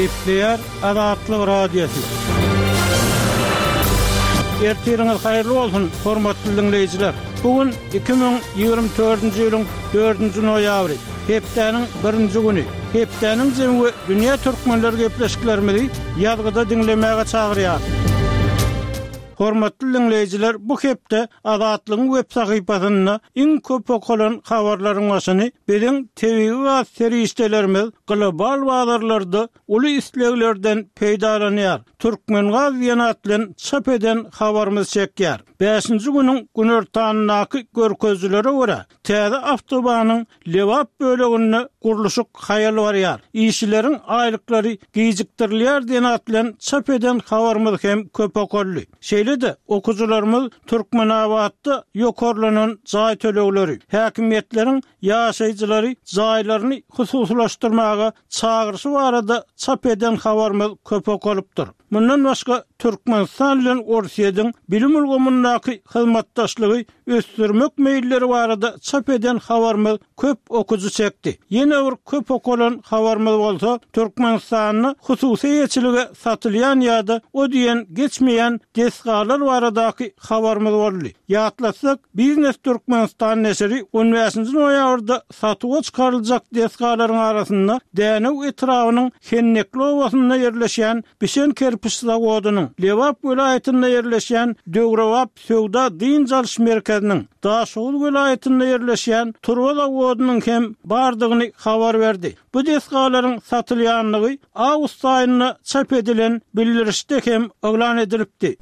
Gepleýär Azatlyk Radiosy. Ertiriňiz haýyrly bolsun, hormatly diňleýjiler! Bu gün 2024-nji ýylyň dördünji noýabry, hepdäniň birinji güni. Hepdäniň jemi we dünýä türkmenleri gepleşiklerimizi ýazgyda diňlemäge çagyrýar. Hormatly diňleýjiler, bu hepde Azatlygyň web sahypasynda iň köp okalan habarlaryň başyny biziň tebigy gaz serişdelerimiz global bazarlarda uly isleglerden peýdalanýar, Türkmengaz diýen at bilen çap eden habarymyz çekýär. Bäşinji günüň günortanyndaky görkezijilere görä, täze awtobanyň Lebap böleginde gurluşyk haýal barýar. Işçileriň aýlyklary gijikdirilýär diýen at bilen çap eden habarymyz hem köp okaldy. Şeýle-de, okyjylarymyz Türkmenabatda ýokarlanan jaý tölegleri, häkimiýetleriň ýaşaýjylary jaýlaryny hususylaşdyrmaga çagyryşy barada çap eden habarymyz köp okalypdyr. Mundan başga, Türkmenistan bilen Orsýetiň bilim ulgamyndaky hyzmatdaşlygy ösdürmek meýilleri barada çap eden habarymyz köp okyjy çekdi. Ýene bir köp okalan habarymyz bolsa, Türkmenistanda hususy eýeçilige satylýan ýa-da o diýen geçmeýän desgalar baradaky habarymyz boldy. Ýatlatsak, Biznes Türkmenistan neşiri on bäşinji noýabrda satuwa çykaryljak desgalaryň arasynda Dänew etrabynyň Hennekli obasynda ýerleşýän bişen kerpiç zawodynyň, Lebap welaýatynda ýerleşýän döwrebap söwda-dynç alyş merkeziniň, Daşoguz welaýatynda ýerleşýän turba zawodynyň hem bardygyny habar berdi. Bu desgalaryň satylýandygy awgust aýynda çap edilen bildirişde hem yglan edilipdi.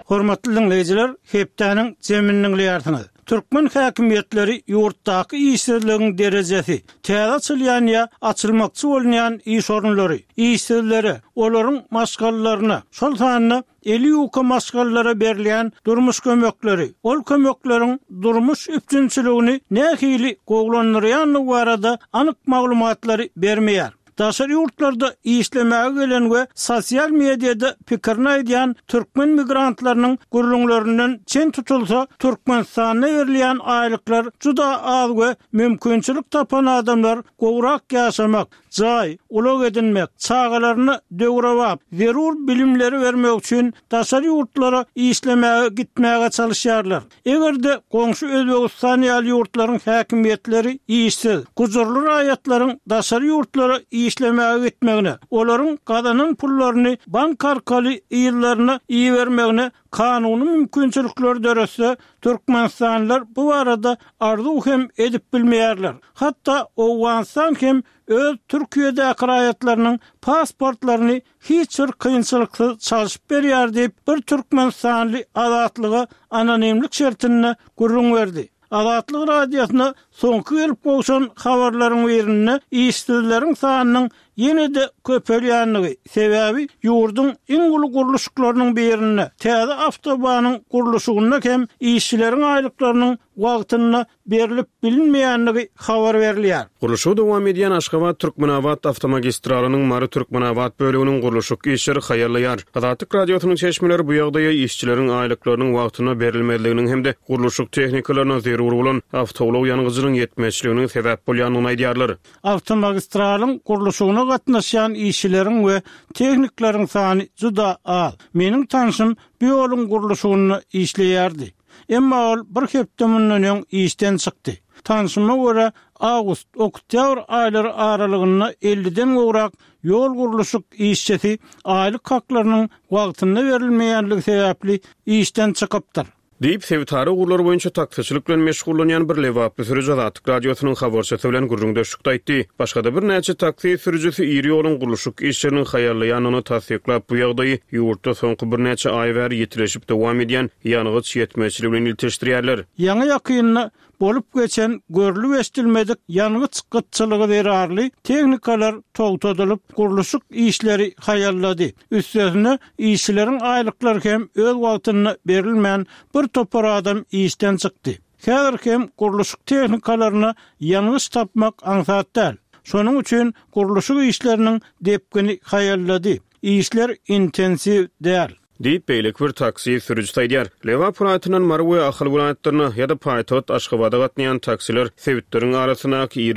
Hormatly diňleýjiler, hepdäniň jemini diňleýärsiňiz. Türkmen häkimiýetleri ýurtdaky işsizligiň derejesi, täze açylýan ýa açylmakçy bolunýan iş orunlary, işsizlere, olaryň maşgalalaryna, şol sanda eli ýuka maşgalalara berilýän durmuş kömekleri, ol kömekleriň durmuş üpjünçiligini nähili gowulandyrýandygy barada anyk maglumatlary bermeýär. Daşary ýurtlarda işlemäge gelen we sosial mediada pikirini aýdýan türkmen migrantlarynyň gürrüňlerinden çen tutulsa, Türkmenistanda berilýän aýlyklar juda az we mümkinçilik tapan adamlar gowrak ýaşamak, jaý, ulag edinmek, çagalaryna döwrebap, zerur bilimleri bermek üçin daşary ýurtlara işlemäge gitmäge çalyşýarlar. Eger-de goňşy Özbegistan ýaly ýurtlaryň häkimiýetleri işsiz, gujurly raýatlaryň daşary ýurtlara işlemäge gitmegine, olaryň gazanan pullaryny bank arkaly yzlaryna ibermegine kanuny mümkinçilikleri döretse, türkmenistanlylar bu barada arzuw hem edip bilmeýärler. Hatda Owganystan hem öz Türkiýedäki raýatlarynyň pasportlaryny hiç bir kynçylyksyz çalşyp berýär diýip, bir türkmenistanly Azatlyga anonimlik şertinde gürrüň berdi. Azatlyk Radiosyna soňky gelip gowşan habarlaryň birinde işsizleriň sanynyň ýene-de köpelýändigi, sebäbi ýurduň iň uly gurluşyklarynyň birinde, täze awtobanyň gurluşygynda hem işçileriň aýlyklarynyň wagtynda berlip bilinmeýändigi habar berilýär. Gurluşygy dowam edýän Aşgabat-Türkmenabat awtomagistralynyň Mary-Türkmenabat böleginiň gurluşyk işleri haýallaýar. Azatlyk Radiosynyň çeşmeleri bu ýagdaýa işçileriň aýlyklarynyň wagtynda berilmezliginiň hem-de gurluşyk tehnikalaryna zerur bolan awtoulag ýangyjynyň ýetmezçiliginiň sebäp bolýandygyny aýdýarlar. Awtomagistralyň gurluşygyna gatnaşýan işçileriň we tehnikleriň sany juda az. Meniň tanşym bu ýoluň gurluşygynda işleýärdi. Emma ol bir hepde mundan öň işden çykdy. Tanşyma görä, awgust, oktýabr aýlary aralygynda elliden gowrak ýol gurluşyk işçisi aýlyk haklarynyň wagtynda berilmeýänligi sebäpli işden çykypdyr. Diýip, sebitara ugurlar boýunça taksiçilik bilen meşgullanýan bir lebaply sürüji Azatlyk Radiosynyň habarçysy bilen gürrüňdeşlikde aýtdy. Başga-da birnäçe taksi sürüjisi iri ýoluň gurluşyk işleriniň haýallaýandygyny tassyklap, bu ýagdaýy ýurtda soňky birnäçe aý bäri ýitileşip dowam edýän ýangyç ýetmezçiligi bilen ilteşdirýärler. Ýaňy-ýakynda bolup geçen görlüp-eşidilmedik ýangyç gytçylygy zerarly tehnikalar togtadylyp, gurluşyk işleri haýallady. Üstesine, işçileriň aýlyklary hem öz wagtynda berilmän, bir topar adam işden çykdy. Häzir hem gurluşyk tehnikalaryna ýangyç tapmak aňsat däl. Şonuň üçin gurluşyk işleriniň depgini haýallady. Işler intensiw däl. Diýip, beýleki bir taksi sürüjisi aýdýar. Lebap welaýatyndan Mary we Ahal welaýatlaryna ýa-da paýtagt Aşgabada gatnaýan taksiler sebitleriň arasyndaky iri.